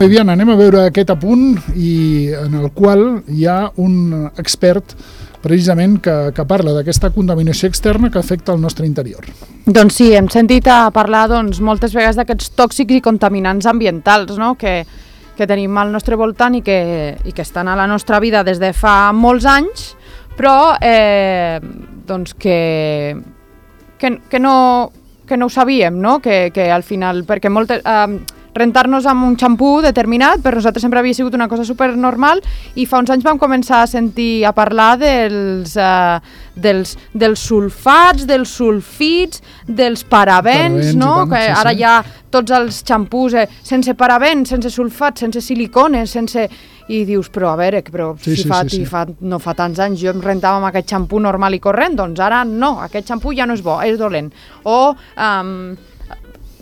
Vivian, anem a veure aquest apunt en el qual hi ha un expert precisament que parla d'aquesta contaminació externa que afecta el nostre interior. Doncs sí, hem sentit a parlar moltes vegades d'aquests tòxics i contaminants ambientals, no? que tenim al nostre voltant i que estan a la nostra vida des de fa molts anys, però doncs que no ho sabíem, no? Que al final, perquè rentar-nos amb un xampú determinat per nosaltres sempre havia sigut una cosa supernormal, i fa uns anys vam començar a sentir a parlar dels sulfats, dels sulfits, dels parabens, no? Que ara hi ha tots els xampús sense parabens, sense sulfats, sense silicones, i dius, però a veure, no fa tants anys jo em rentava amb aquest xampú normal i corrent, doncs ara no, aquest xampú ja no és bo, és dolent. O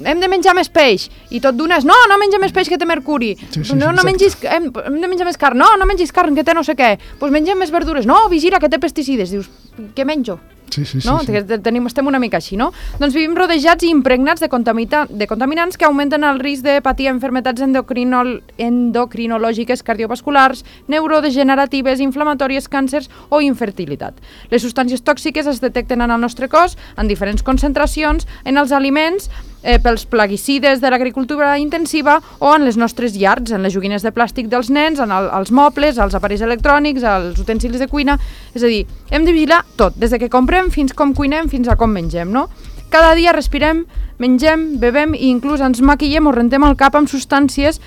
hem de menjar més peix, i tot d'una és no menja més peix que té mercuri, hem de menjar més carn, no mengis carn que té no sé què, doncs mengem més verdures, no, vigila que té pesticides, dius, què menjo? Estem una mica així, no? Doncs vivim rodejats i impregnats de contaminants que augmenten el risc de patir enfermetats endocrinològiques, cardiovasculars, neurodegeneratives, inflamatòries, càncers o infertilitat. Les substàncies tòxiques es detecten en el nostre cos en diferents concentracions en els aliments, pels plaguicides de l'agricultura intensiva o en les nostres llars, en les joguines de plàstic dels nens, en els mobles, els aparells electrònics, els utensilis de cuina. És a dir, hem de vigilar tot, des de que comprem fins com cuinem, fins a com mengem, no? Cada dia respirem, mengem, bevem i inclús ens maquillem o rentem el cap amb substàncies,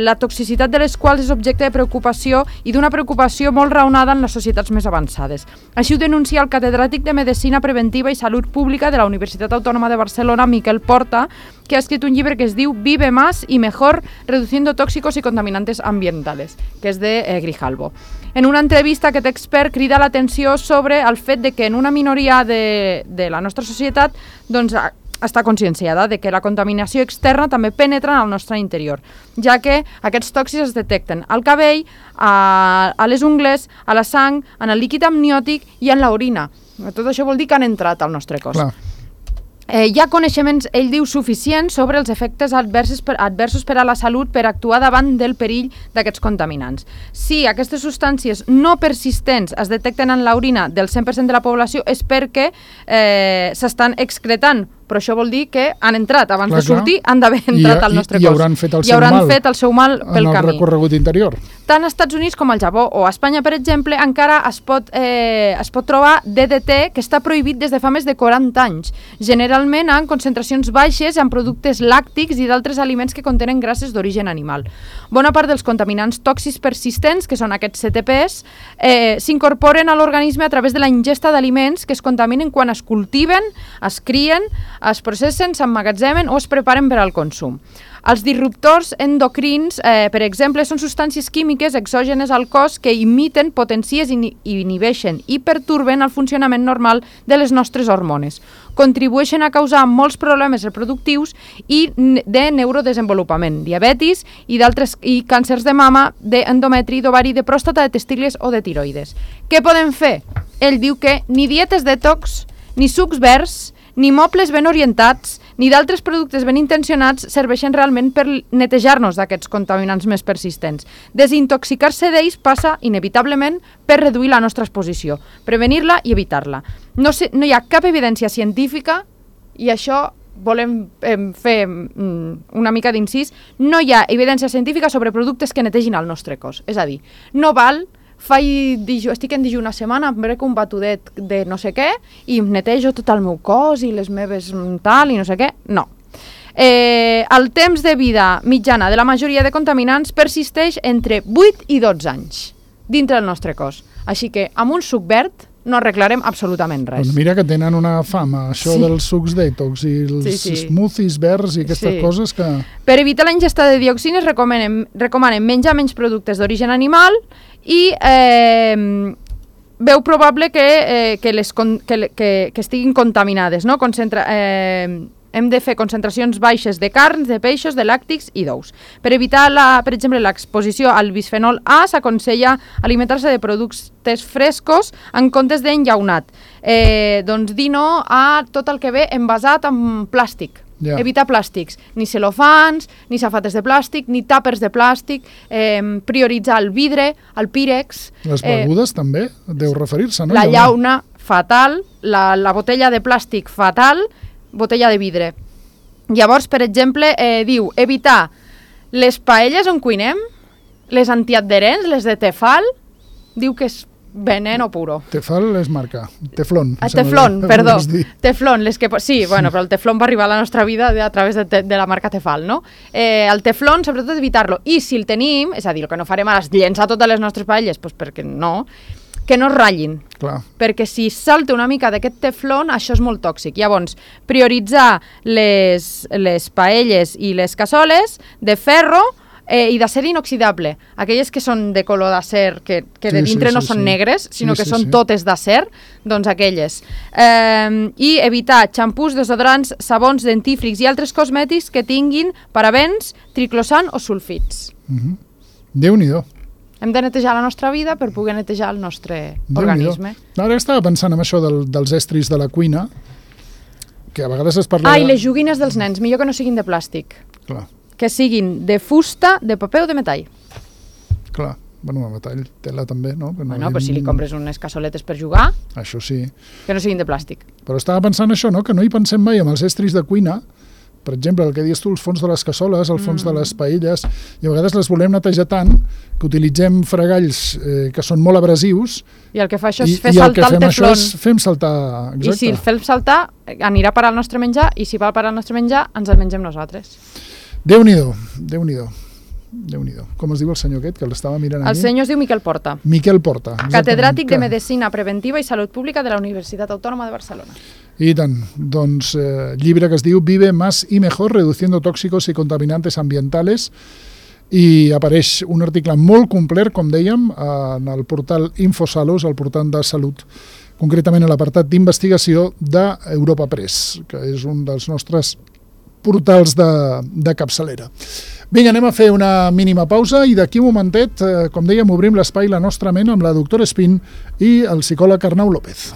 la toxicitat de les quals és objecte de preocupació i d'una preocupació molt raonada en les societats més avançades. Així ho denuncia el catedràtic de Medicina Preventiva i Salut Pública de la Universitat Autònoma de Barcelona, Miquel Porta, que ha escrit un llibre que es diu Vive más y mejor reduciendo tóxicos y contaminantes ambientales, que és de Grijalbo. En una entrevista, aquest expert crida l'atenció sobre el fet de que en una minoria de la nostra societat doncs, està conscienciada de que la contaminació externa també penetra en el nostre interior, ja que aquests tòxics es detecten al cabell, a les ungles, a la sang, en el líquid amniòtic i en l'orina. Tot això vol dir que han entrat al nostre cos. Clar. Hi ha coneixements, ell diu, suficients sobre els efectes adversos per a la salut per actuar davant del perill d'aquests contaminants. Si aquestes substàncies no persistents es detecten en l'orina del 100% de la població és perquè s'estan excretant, però això vol dir que han entrat, abans de sortir han d'haver entrat al nostre cos. I hauran fet el seu mal pel camí. En el recorregut interior. Tant als Estats Units com al Japó o a Espanya, per exemple, encara es pot trobar DDT, que està prohibit des de fa més de 40 anys, generalment en concentracions baixes en productes làctics i d'altres aliments que contenen grasses d'origen animal. Bona part dels contaminants tòxics persistents, que són aquests CTPs, s'incorporen a l'organisme a través de la ingesta d'aliments que es contaminen quan es cultiven, es crien, es processen, s'emmagatzemen o es preparen per al consum. Els disruptors endocrins, per exemple, són substàncies químiques exògenes al cos que imiten, potencies i inhibeixen i perturben el funcionament normal de les nostres hormones. Contribueixen a causar molts problemes reproductius i de neurodesenvolupament, diabetis i càncers de mama, d'endometri, d'ovari, de pròstata, de testicles o de tiroides. Què podem fer? Ell diu que ni dietes detox, ni sucs verds, ni mobles ben orientats, ni d'altres productes ben intencionats serveixen realment per netejar-nos d'aquests contaminants més persistents. Desintoxicar-se d'ells passa, inevitablement, per reduir la nostra exposició, prevenir-la i evitar-la. No hi ha cap evidència científica, i això volem fer una mica d'incís, no hi ha evidència científica sobre productes que netegin el nostre cos. És a dir, no val estic en dijú una setmana, em brec un batudet de no sé què i em netejo tot el meu cos i les meves tal i no sé què. No. El temps de vida mitjana de la majoria de contaminants persisteix entre 8 i 12 anys dintre del nostre cos. Així que amb un suc verd no arreglarem absolutament res. Doncs mira que tenen una fama, això dels sucs detox i els smoothies verds i aquestes coses que... Per evitar la ingesta de dioxines recomanen menjar menys productes d'origen animal i veu probable que estiguin contaminades, no? Hem de fer concentracions baixes de carns, de peixos, de làctics i d'ous. Per evitar, per exemple, l'exposició al bisfenol A, s'aconsella alimentar-se de productes frescos en comptes d'enllaunat. Doncs dir no a tot el que ve envasat en plàstic. Evitar plàstics, ni celofans, ni safates de plàstic, ni tàpers de plàstic, prioritzar el vidre, el pírex... Les begudes també, deu referir-se, no? La llauna, fatal, la botella de plàstic, fatal, botella de vidre. Llavors, per exemple, diu evitar les paelles on cuinem, les antiadherents, les de Tefal, diu que és veneno puro. Tefal és marca, Teflon. Teflon, perdó. Teflon, sí, bueno, però el Teflon va arribar a la nostra vida a través de la marca Tefal, no? El Teflon, sobretot, evitar-lo. I si el tenim, és a dir, el que no farem ara és llençar totes les nostres paelles, doncs perquè no, que no es ratllin. Clar. Perquè si salta una mica d'aquest teflon, això és molt tòxic. Llavors, prioritzar les paelles i les cassoles de ferro i d'acer inoxidable. Aquelles que són de color d'acer, que de dintre no són negres, sinó que són totes d'acer, doncs aquelles. I evitar xampús, desodorants, sabons, dentífrics i altres cosmètics que tinguin parabens, triclosan o sulfits. Déu-n'hi-do. Hem de netejar la nostra vida per poder netejar el nostre organisme. Ara estava pensant en això dels estris de la cuina, que a vegades es parla... I les joguines dels nens, millor que no siguin de plàstic. Clar. Que siguin de fusta, de paper o de metall. Clar, bueno, de metall, tela també, no? Bueno, però si li compres unes cassoletes per jugar... Això sí. Que no siguin de plàstic. Però estava pensant això, no? Que no hi pensem mai amb els estris de cuina, per exemple, el que dius tu, els fons de les cassoles, el fons de les paelles, i a vegades les volem netejar tant que utilitzem fregalls que són molt abrasius. I el que fa això és fer saltar el teflon. I el que fem això és fem saltar... Exacte. I si el fem saltar, anirà a parar el nostre menjar, i si va a parar el nostre menjar, ens el mengem nosaltres. Déu-n'hi-do, Déu-n'hi-do. Déu-n'hi-do. Com es diu el senyor aquest, que l'estava mirant El senyor es diu Miquel Porta. Miquel Porta. Catedràtic de Medicina Preventiva i Salut Pública de la Universitat Autònoma de Barcelona. I tant. Doncs llibre que es diu Vive más y mejor, reduciendo tóxicos y contaminantes ambientales, i apareix un article molt complet, com dèiem, en el portal Infosalus, el portal de salut, concretament a l'apartat d'investigació d'Europa Press, que és un dels nostres portals de capçalera. Vinga, anem a fer una mínima pausa i d'aquí un momentet, com dèiem, obrim l'espai La nostra ment amb la doctora Espín i el psicòleg Arnau López.